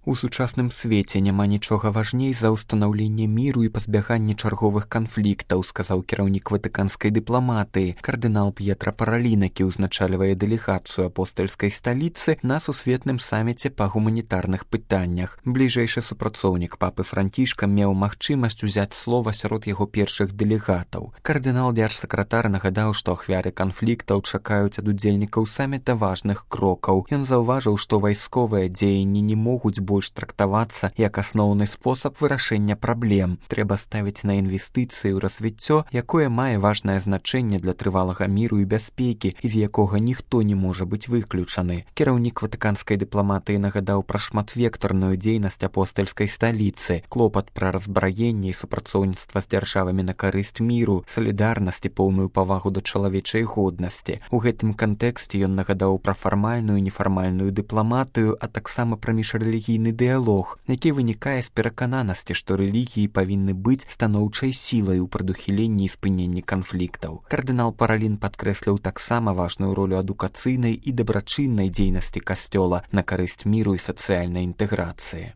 У сучасным свеце няма нічога важней за ўстанаўленне міру і пазбяганне чарговых канфліктаў, сказаў кіраўнік ватыканскай дыпламатыі. Кардынал П'етра Паралін, які ўзначальвае дэлегацыю апостальскай сталіцы на сусветным саміце па гуманітарных пытаннях. Бліжэйшы супрацоўнік папы Францішка меў магчымасць узяць слова сярод яго першых дэлегатаў. Кардынал дзяржсакратар нагадаў, што ахвяры канфліктаў чакаюць ад удзельнікаў саміта важных крокаў. Ён заўважыў, што вайсковыя дзеянні не могуць больш трактавацца як асноўны спосаб вырашэння праблем. Трэба ставіць на інвестыцыі ў развіццё, якое мае важнае значэнне для трывалага міру і бяспекі, з якога ніхто не можа быць выключаны. Кіраўнік ватыканскай дыпламатыі нагадаў пра шматвектарную дзейнасць апостальскай сталіцы, клопат пра разбраенне і супрацоўніцтва з дзяржавамі на карысць міру, салідарнасць і поўную павагу да чалавечай годнасці. У гэтым кантэксце ён нагадаў пра фармальную і нефармальную дыпламатыю, а таксама пра міжрэлігійны дыялог, які вынікае з перакананасці, што рэлігіі павінны быць станоўчай сілай у прадухіленні і спыненні канфліктаў. Кардынал Паралін падкрэсліў таксама важную ролю адукацыйнай і дабрачыннай дзейнасці касцёла на карысць міру і сацыяльнай інтэграцыі.